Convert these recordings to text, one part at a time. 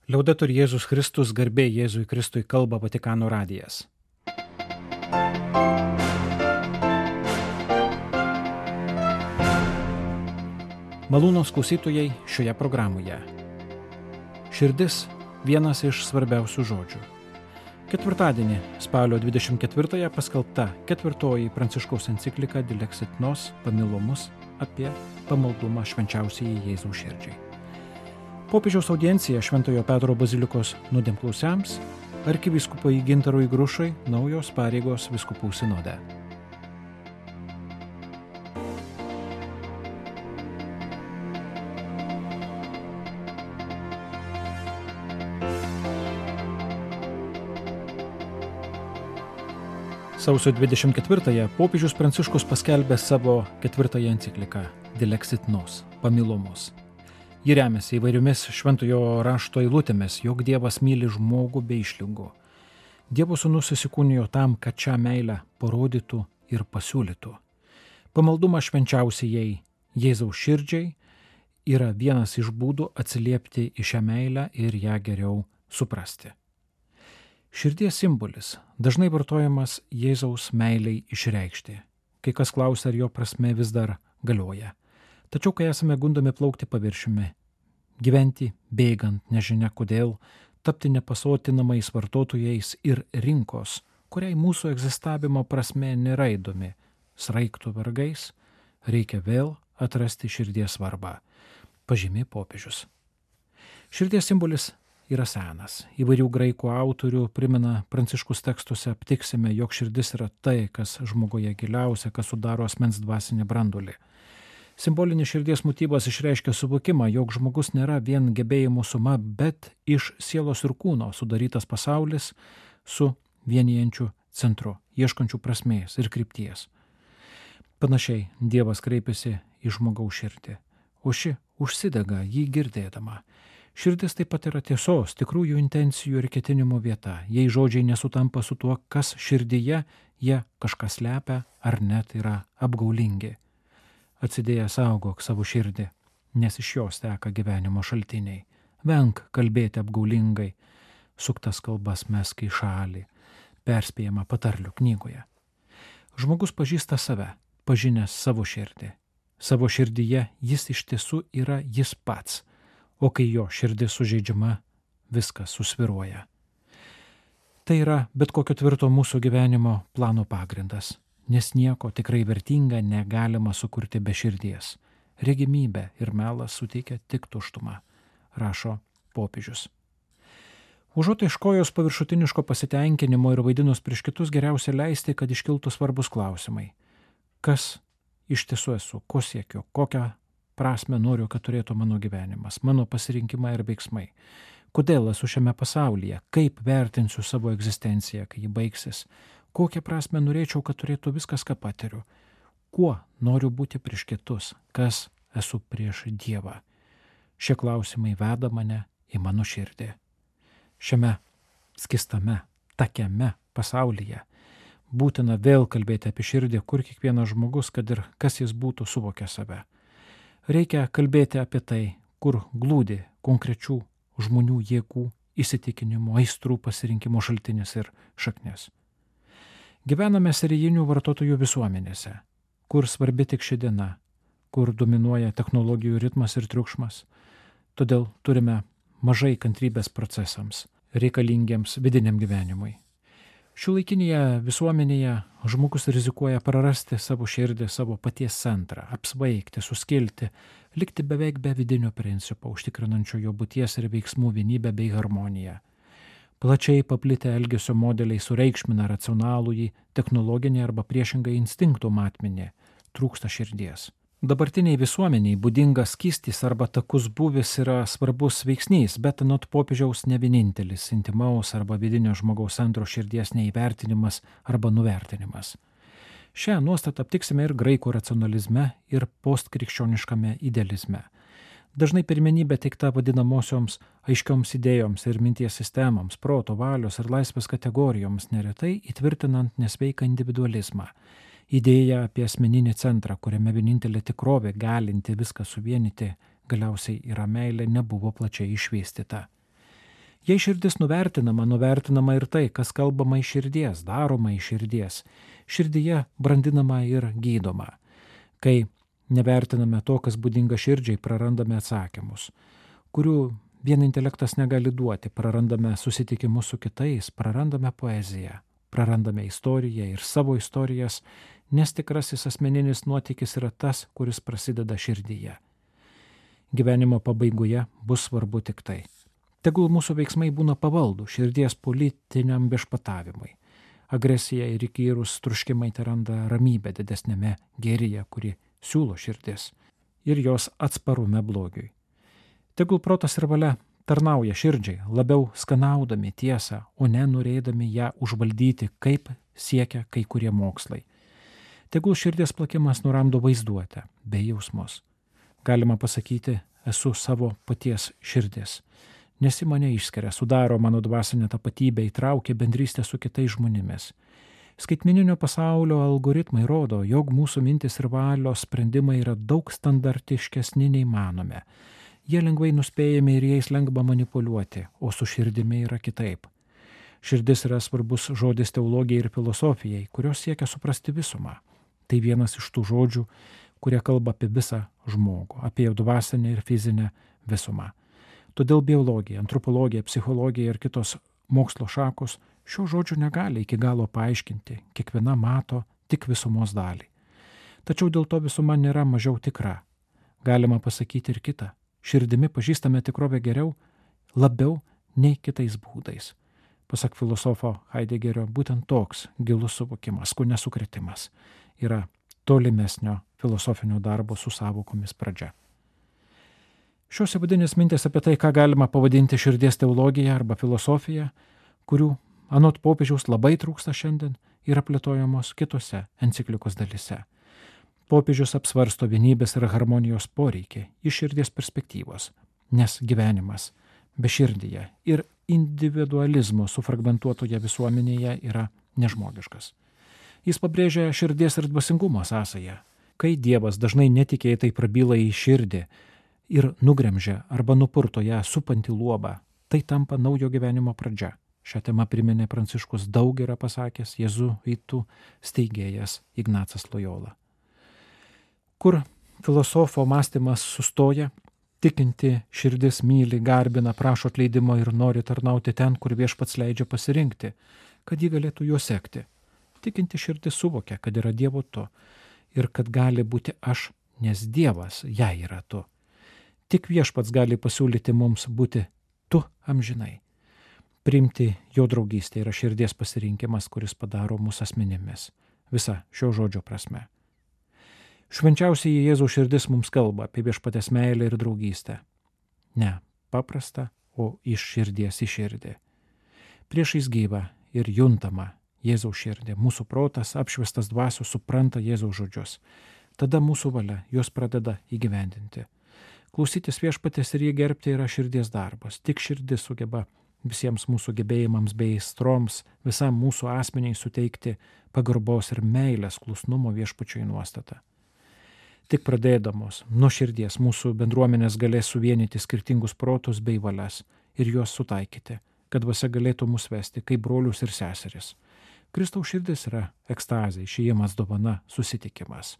Liaudetur Jėzus Kristus, garbė Jėzui Kristui, kalba Vatikano radijas. Malūnos klausytojai šioje programoje. Širdis – vienas iš svarbiausių žodžių. Ketvirtadienį, spalio 24-ąją paskelbta ketvirtoji Pranciškaus enciklika Dilexit Nos Pamilomus apie pamaldumą švenčiausiajai Jėzaus širdžiai. Popiežiaus audiencija Šventojo Petro bazilikos nuodėmklausiams, arkivyskupui Gintarui Grušui naujos pareigos vyskupų sinode. Sausio 24-ąją popiežius Pranciškus paskelbė savo ketvirtąją encikliką Dilexit Nos Pamilomus. Ji remiasi įvairiomis šventojo rašto eilutėmis, jog Dievas myli žmogų be išlygų. Dievo sūnus įsikūnijo tam, kad šią meilę parodytų ir pasiūlytų. Pamaldumas švenčiausiajai Jėzaus širdžiai yra vienas iš būdų atsiliepti į šią meilę ir ją geriau suprasti. Širdies simbolis dažnai vartojamas Jėzaus meiliai išreikšti. Kai kas klausia, ar jo prasme vis dar galioja. Tačiau, kai esame gundomi plaukti paviršiumi, gyventi bėgant nežinia kodėl, tapti nepasotinamais vartotojais ir rinkos, kuriai mūsų egzistavimo prasme nėra įdomi, sraigtų vargais, reikia vėl atrasti širdies svarbą, pažymi popiežius. Širdies simbolis yra senas. Įvairių graikų autorių primena Pranciškus tekstuose aptiksime, jog širdis yra tai, kas žmogoje giliausia, kas sudaro asmens dvasinį branduolį. Simbolinis širdies motyvas išreiškia suvokimą, jog žmogus nėra vien gebėjimų suma, bet iš sielos ir kūno sudarytas pasaulis su vienijančiu centru, ieškančiu prasmės ir krypties. Panašiai Dievas kreipiasi į žmogaus širdį, o ši užsidega jį girdėdama. Širdis taip pat yra tiesos, tikrųjų intencijų ir ketinimų vieta. Jei žodžiai nesutampa su tuo, kas širdyje, jie kažką slepia ar net yra apgaulingi. Atsidėjęs saugok savo širdį, nes iš jos teka gyvenimo šaltiniai. Venk kalbėti apgaulingai, suktas kalbas mesk į šalį, perspėjama patarlių knygoje. Žmogus pažįsta save, pažinęs savo širdį. Savo širdyje jis iš tiesų yra jis pats. O kai jo širdis sužeidžiama, viskas susviruoja. Tai yra bet kokio tvirto mūsų gyvenimo plano pagrindas, nes nieko tikrai vertinga negalima sukurti be širdies. Regimybė ir melas suteikia tik tuštumą, rašo popiežius. Užuot ieškojus paviršutiniško pasitenkinimo ir vaidinus prieš kitus, geriausia leisti, kad iškiltų svarbus klausimai. Kas iš tiesų esu, ko siekiu, kokią prasme noriu, kad turėtų mano gyvenimas, mano pasirinkimai ir veiksmai. Kodėl esu šiame pasaulyje, kaip vertinsiu savo egzistenciją, kai ji baigsis, kokią prasme norėčiau, kad turėtų viskas, ką patiriu, kuo noriu būti prieš kitus, kas esu prieš Dievą. Šie klausimai veda mane į mano širdį. Šiame skistame, takiame pasaulyje būtina vėl kalbėti apie širdį, kur kiekvienas žmogus, kad ir kas jis būtų, suvokia save. Reikia kalbėti apie tai, kur glūdi konkrečių žmonių jėgų, įsitikinimų, aistrų pasirinkimo šaltinis ir šaknis. Gyvename serijinių vartotojų visuomenėse, kur svarbi tik ši diena, kur dominuoja technologijų ritmas ir triukšmas. Todėl turime mažai kantrybės procesams, reikalingiems vidiniam gyvenimui. Šiuolaikinėje visuomenėje žmogus rizikuoja prarasti savo širdį, savo paties centrą, apsvaigti, suskilti, likti beveik be vidinio principo, užtikrinančio jo būties ir veiksmų vienybę bei harmoniją. Plačiai paplitę elgesio modeliai sureikšmina racionalųjį, technologinį arba priešingai instinktų matmenį, trūksta širdies. Dabartiniai visuomeniai būdingas skystis arba takus būvis yra svarbus veiksnys, bet anot popiežiaus ne vienintelis intimaus arba vidinio žmogaus centro širdies neįvertinimas arba nuvertinimas. Šią nuostatą aptiksime ir graikų racionalizme ir postkrikščioniškame idealizme. Dažnai pirmenybė teikta vadinamosioms aiškioms idėjoms ir minties sistemoms, proto, valios ir laisvės kategorijoms, neretai įtvirtinant nesveiką individualizmą. Idėja apie asmeninį centrą, kuriame vienintelė tikrovė galinti viską suvienyti, galiausiai yra meilė, nebuvo plačiai išvystyta. Jei širdis nuvertinama ir tai, kas kalbama iš širdies, daroma iš širdies. Širdyje brandinama ir gydoma. Kai nevertiname to, kas būdinga širdžiai, prarandame atsakymus, kurių vien intelektas negali duoti, prarandame susitikimus su kitais, prarandame poeziją, prarandame istoriją ir savo istorijas, nes tikrasis asmeninis nuotykis yra tas, kuris prasideda širdyje. Gyvenimo pabaigoje bus svarbu tik tai. Tegul mūsų veiksmai būna pavaldų širdies politiniam viešpatavimui. Agresija ir įkyrūs troškimai teranda ramybę didesnėme gėryje, kuri siūlo širdis, ir jos atsparume blogiui. Tegul protas ir valia tarnauja širdžiai, labiau skanaudami tiesą, o ne norėdami ją užvaldyti, kaip siekia kai kurie mokslai. Tegul širdies plakimas nuramdo vaizduotę bei jausmus. Galima pasakyti, esu savo paties širdis. Nes į mane išskiria, sudaro mano dvasinę tapatybę, įtraukia bendrystę su kitais žmonėmis. Skaitmeninio pasaulio algoritmai rodo, jog mūsų mintis ir valios sprendimai yra daug standartiškesni nei manome. Jie lengvai nuspėjami ir jais lengva manipuliuoti, o su širdimi yra kitaip. Širdis yra svarbus žodis teologijai ir filosofijai, kurios siekia suprasti visumą. Tai vienas iš tų žodžių, kurie kalba apie visą žmogų, apie jo dvasinę ir fizinę visumą. Todėl biologija, antropologija, psichologija ir kitos mokslo šakos šio žodžio negali iki galo paaiškinti, kiekviena mato tik visumos dalį. Tačiau dėl to visuma nėra mažiau tikra. Galima pasakyti ir kitą. Širdimi pažįstame tikrovę geriau, labiau nei kitais būdais. Pasak filosofo Heideggerio, būtent toks gilus suvokimas, kone sukrėtimas, yra tolimesnio filosofinio darbo su sąvokomis pradžia. Šios įvadinės mintys apie tai, ką galima pavadinti širdies teologija arba filosofija, kurių anot popiežiaus labai trūksta šiandien, yra plėtojamos kitose enciklikos dalyse. Popiežius apsvarsto vienybės ir harmonijos poreikį iš širdies perspektyvos, nes gyvenimas beširdyje ir individualizmo sufragmentuotoje visuomenėje yra nežmogiškas. Jis pabrėžia širdies ir dvasingumo sąsają. Kai Dievas dažnai netikėtai prabyla į širdį ir nugremžia arba nupurto ją supantį luobą, tai tampa naujo gyvenimo pradžia. Šią temą priminė Pranciškus daug yra pasakęs jėzuitų steigėjas Ignacas Lojola. Kur filosofo mąstymas sustoja, tikinti širdis myli, garbina, prašo atleidimo ir nori tarnauti ten, kur Viešpats leidžia pasirinkti, kad ji galėtų juo sekti. Tikinti širdis suvokia, kad yra Dievo tu ir kad gali būti aš, nes Dievas jai yra tu. Tik Viešpats gali pasiūlyti mums būti tu amžinai. Priimti jo draugystę yra širdies pasirinkimas, kuris padaro mus asmenimis. Visa šio žodžio prasme. Švenčiausiai Jėzaus širdis mums kalba apie Viešpatės meilę ir draugystę. Ne paprasta, o iš širdies į širdį. Priešais gyvą ir juntamą Jėzaus širdį. Mūsų protas, apšviestas dvasios, supranta Jėzaus žodžius. Tada mūsų valia juos pradeda įgyvendinti. Klausytis Viešpatės ir jį gerbti yra širdies darbas. Tik širdis sugeba visiems mūsų gebėjimams bei aistroms, visam mūsų asmeniai suteikti pagarbos ir meilės klusnumo Viešpačiui nuostatą. Tik pradėdamos nuo širdies mūsų bendruomenės galės suvienyti skirtingus protus bei valias ir juos sutaikyti, kad dvasia galėtų mus vesti kaip brolius ir seseris. Kristaus širdis yra ekstazė, išėjimas, dovana, susitikimas.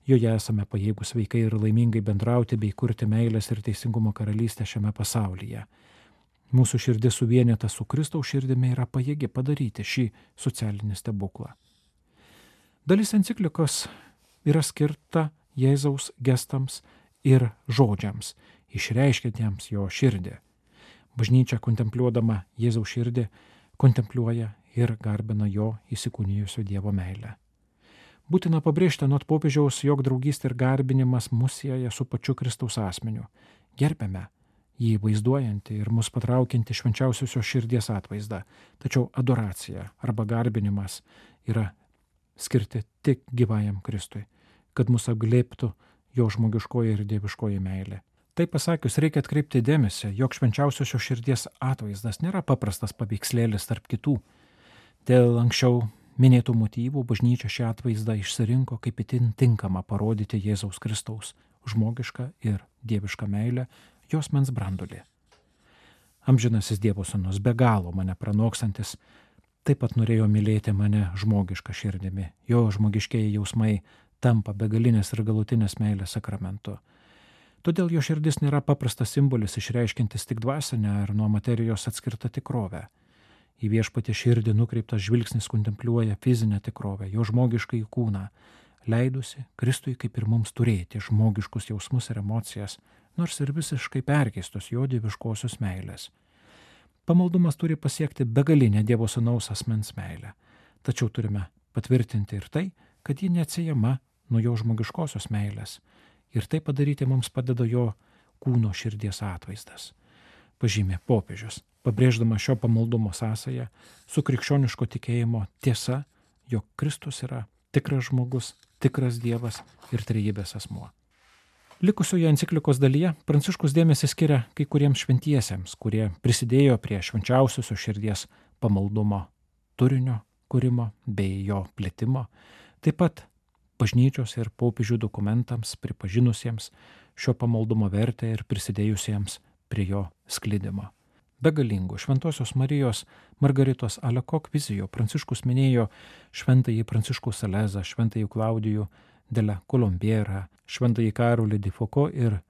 Joje esame pajėgus sveikai ir laimingai bendrauti bei kurti meilės ir teisingumo karalystę šiame pasaulyje. Mūsų širdis suvienita su Kristaus širdimi yra pajėgi padaryti šį socialinį stebuklą. Dalis enciklikos yra skirta Jėzaus gestams ir žodžiams, išreiškiantiems jo širdį. Bažnyčia, kontempliuodama Jėzaus širdį, kontempliuoja ir garbina jo įsikūnijusio Dievo meilę. Būtina pabrėžti anot popiežiaus, jog draugystė ir garbinimas mus sieja su pačiu Kristaus asmeniu. Gerbėme jį vaizduojantį ir mus patraukiantį švenčiausiosios širdies atvaizdą. Tačiau adoracija arba garbinimas yra skirti tik gyvajam Kristui, kad mus apglėbtų jo žmogiškoji ir dieviškoji meilė. Tai pasakius, reikia atkreipti dėmesį, jog švenčiausiosios širdies atvaizdas nėra paprastas paveikslėlis tarp kitų. Dėl anksčiau minėtų motyvų bažnyčia šią atvaizdą išsirinko kaip itin tinkama parodyti Jėzaus Kristaus žmogišką ir dievišką meilę, jos mens brandulį. Amžinasis Dievo sūnus, be galo mane pranokstantis, taip pat norėjo mylėti mane žmogišką širdimi. Jo žmogiškieji jausmai tampa begalinės ir galutinės meilės sakramentu. Todėl jo širdis nėra paprastas simbolis išreiškintis tik dvasinę ar nuo materijos atskirtą tikrovę. Į viešpatį širdį nukreiptas žvilgsnis kontempliuoja fizinę tikrovę, jo žmogiškąjį kūną, leidusi Kristui kaip ir mums turėti žmogiškus jausmus ir emocijas, nors ir visiškai perkeistos jo dieviškosios meilės. Pamaldumas turi pasiekti begalinę Dievo sūnaus asmens meilę, tačiau turime patvirtinti ir tai, kad ji neatsiejama nuo jo žmogiškosios meilės, ir tai padaryti mums padeda jo kūno širdies atvaizdas. Pažymė popiežius, pabrėždama šio pamaldumo sąsają su krikščioniško tikėjimo tiesa, jog Kristus yra tikras žmogus, tikras Dievas ir trejybės asmuo. Likusioje enciklikos dalyje Pranciškus dėmesį skiria kai kuriems šventiesiems, kurie prisidėjo prie švenčiausiosios širdies pamaldumo turinio kūrimo bei jo plėtimo, taip pat bažnyčios ir popiežių dokumentams pripažinusiems šio pamaldumo vertę ir prisidėjusiems prie jo sklidimo. Be galingų Šventosios Marijos Margaritos Alekok vizijų Pranciškus minėjo šventąjį Pranciškų Salezą, šventąjį Klaudijų de la Colombiera, šventąjį Karolį de Foucault ir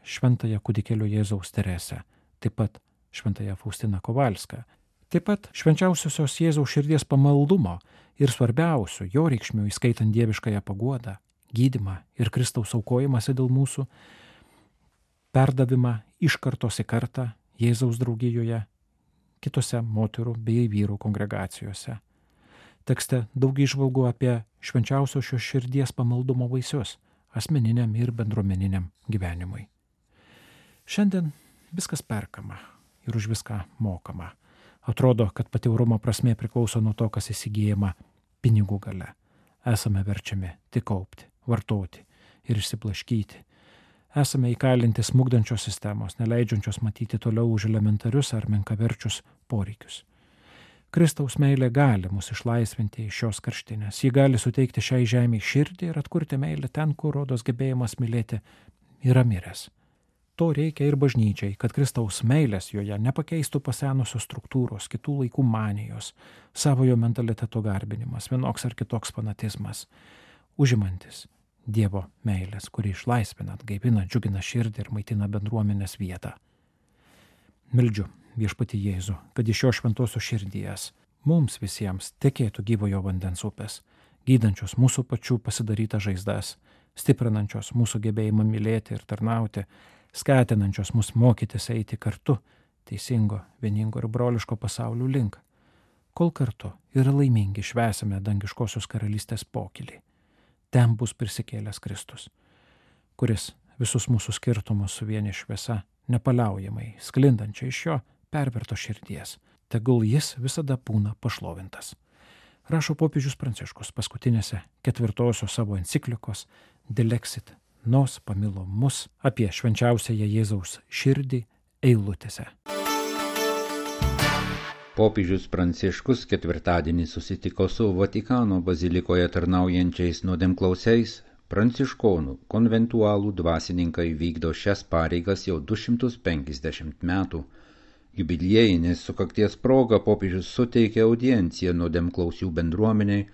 šventąją Kūdikėlio Jėzaus Teresę, taip pat šventąją Faustiną Kovalską. Taip pat švenčiausiosios Jėzaus širdies pamaldumo ir svarbiausių jo reikšmių, įskaitant dieviškąją paguodą, gydymą ir Kristaus aukojimąsi dėl mūsų, perdavimą iš kartos į kartą Jėzaus draugijoje, kitose moterų bei vyrų kongregacijose. Tekste daug įžvalgų apie švenčiausios šios širdies pamaldumo vaisius asmeniniam ir bendruomeniniam gyvenimui. Šiandien viskas perkama ir už viską mokama. Atrodo, kad pati orumo prasmė priklauso nuo to, kas įsigyjama pinigų gale. Esame verčiami tik kaupti, vartoti ir išsiblaškyti. Esame įkalinti smugdančios sistemos, neleidžiančios matyti toliau už elementarius ar menkaverčius poreikius. Kristaus meilė gali mus išlaisvinti iš šios karštinės. Ji gali suteikti šiai žemei širdį ir atkurti meilę ten, kur rodos gebėjimas mylėti yra miręs. To reikia ir bažnyčiai, kad Kristaus meilės joje nepakeistų pasenusios struktūros, kitų laikų manijos, savojo mentaliteto garbinimas, vienoks ar kitoks fanatizmas, užimantis Dievo meilės, kuri išlaisvina, atgaivina, džiugina širdį ir maitina bendruomenės vietą. Meldžiu viešpatį Jėzų, kad iš jo šventosios širdies mums visiems tekėtų gyvojo vandens upės, gydančios mūsų pačių pasidarytas žaizdas, stiprinančios mūsų gebėjimą mylėti ir tarnauti, skatinančios mus mokytis eiti kartu teisingo, vieningo ir broliško pasaulių link, kol kartu ir laimingi švęsime dangiškosios karalystės pokylį. Ten bus prisikėlęs Kristus, kuris visus mūsų skirtumus suvienė šviesa, nepaliaujamai sklindančia iš jo perverto širdies. Tegul jis visada būna pašlovintas. Rašo popiežius Pranciškus paskutinėse 4 savo enciklikos Dilexit Nos pamilo mus apie švenčiausiąją Jėzaus širdį eilutėse. Popiežius Pranciškus ketvirtadienį susitiko su Vatikano bazilikoje tarnaujančiais nuodėmklausiais. Pranciškonų konventualų dvasininkai vykdo šias pareigas jau 250 metų. Jubiliejinės sukakties proga popiežius suteikė audienciją nuodėmklausių bendruomeniai,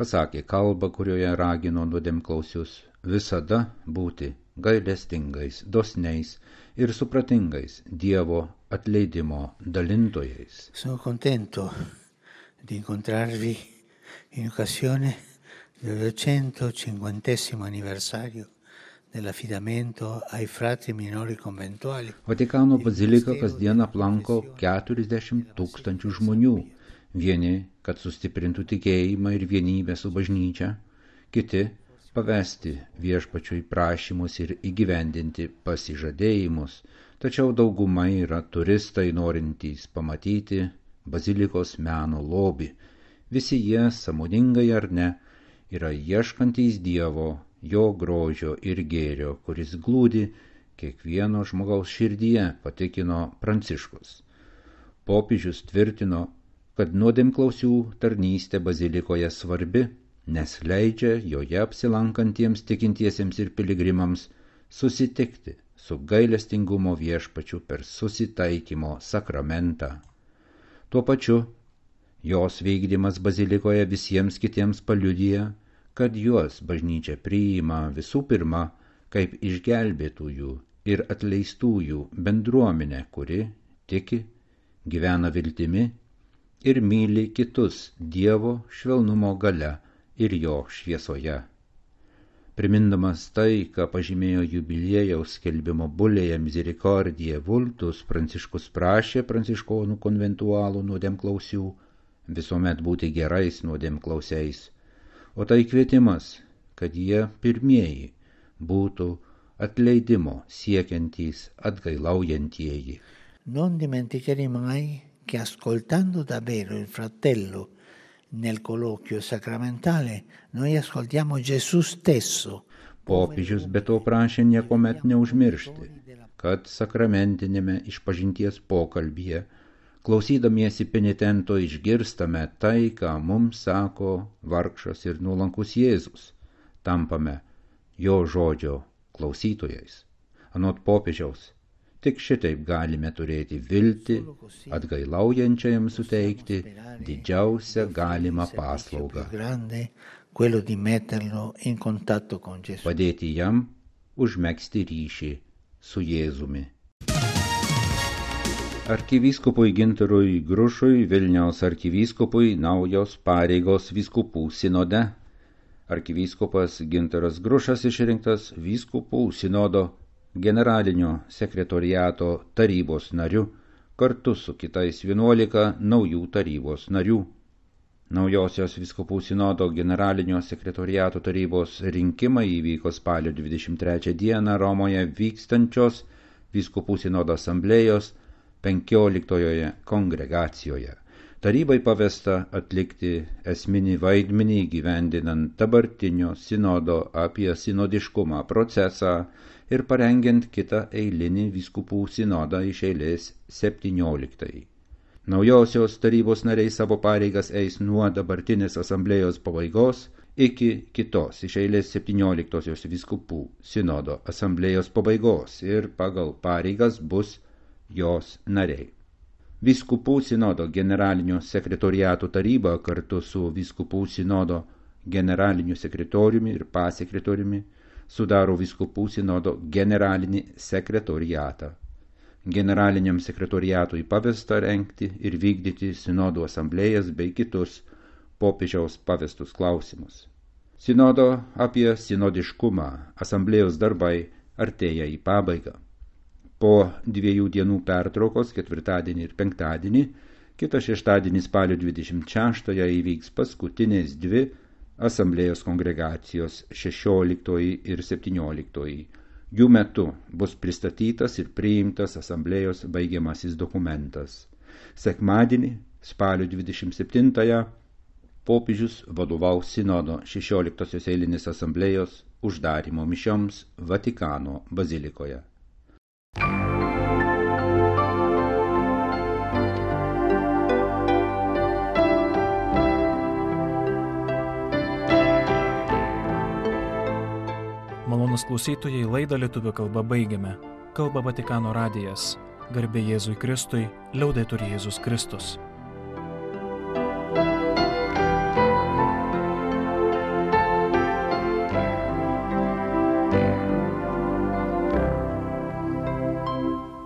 pasakė kalbą, kurioje ragino nuodėmklausius visada būti gailestingais, dosniais ir supratingais Dievo atleidimo dalintojais. Sono contento di incontrarvi in occasione del 250° anniversario dell'affidamento ai frati minori conventuali. Vatikano bazilika kasdien aplanko 40 000 žmonių. Vieni, kad sustiprintų tikėjimą ir vienybę su bažnyčia, kiti pavesti viešpačiui prašymus ir įgyvendinti pasižadėjimus, tačiau dauguma yra turistai norintys pamatyti bazilikos meno lobį. Visi jie, sąmoningai ar ne, yra ieškantys Dievo, jo grožio ir gėrio, kuris glūdi kiekvieno žmogaus širdyje, patikino Pranciškus. Popiežius tvirtino, kad nuodėmklausių tarnystė bazilikoje svarbi, nes leidžia joje apsilankantiems tikintiesiems ir piligrimams susitikti su gailestingumo viešpačiu per susitaikymo sakramentą. Tuo pačiu, jos vykdymas bazilikoje visiems kitiems paliudija, kad juos bažnyčia priima visų pirma kaip išgelbėtųjų ir atleistųjų bendruomenę, kuri tiki, gyvena viltimi ir myli kitus Dievo švelnumo galia ir jo šviesoje. Primindamas tai, ką pažymėjo jubiliejaus skelbimo bulėje Misericordiae Vultus, Pranciškus prašė pranciškonų konventualų nuodėmklausių visuomet būti gerais nuodėmklausiais, o tai kvietimas, kad jie pirmieji būtų atleidimo siekiantys atgailaujantieji. Non dimenticare mai che ascoltando davvero il fratello nel colloquio sacramentale noi ascoltiamo Gesù stesso. Popiežius be to prašė niekuomet neužmiršti, kad sakramentinėme išpažinties pokalbyje, klausydamiesi penitento, išgirstame tai, ką mums sako vargšas ir nuolankus Jėzus, tampame jo žodžio klausytojais. Anot popiežiaus, tik šitaip galime turėti viltį, atgailaujančiajam suteikti didžiausią galimą paslaugą, padėti jam užmegzti ryšį su Jėzumi. Arkivyskupui Gintarui Grušui, Vilniaus arkivyskupui, naujos pareigos vyskupų sinode. Arkivyskupas Gintaras Grušas išrinktas vyskupų sinodo generalinio sekretoriato tarybos nariu kartu su kitais 11 naujų tarybos narių. Naujosios vyskupų sinodo generalinio sekretoriato tarybos rinkimai įvyko spalio 23 dieną Romoje vykstančios vyskupų sinodo asamblėjos 15 kongregacijoje. Tarybai pavesta atlikti esminį vaidmenį įgyvendinant dabartinio sinodo apie sinodiškumą procesą ir parengiant kitą eilinį vyskupų sinodą iš eilės 17. Naujosios tarybos nariai savo pareigas eis nuo dabartinės asamblėjos pabaigos iki kitos iš eilės 17 vyskupų sinodo asamblėjos pabaigos ir pagal pareigas bus jos nariai. Vyskupų sinodo generalinio sekretoriato taryba kartu su vyskupų sinodo generaliniu sekretoriumi ir pasekretoriumi sudaro vyskupų sinodo generalinį sekretoriatą. Generaliniam sekretoriatui pavesta rengti ir vykdyti sinodų asamblėjas bei kitus popiežiaus pavestus klausimus. Sinodo apie sinodiškumą asamblėjos darbai artėja į pabaigą. Po 2 dienų pertraukos, ketvirtadienį ir penktadienį, kitą šeštadienį spalio 26 įvyks paskutinės 2 asamblėjos kongregacijos 16 ir 17. Jų metu bus pristatytas ir priimtas asamblėjos baigiamasis dokumentas. Sekmadienį, spalio 27, popiežius vadovaus sinodo 16 eilinės asamblėjos uždarymo mišioms Vatikano bazilikoje. Malonūs klausytojai, laidą lietuvių kalba baigiame. Kalba Vatikano radijas. Garbė Jėzui Kristui, liaudetur Jėzus Kristus.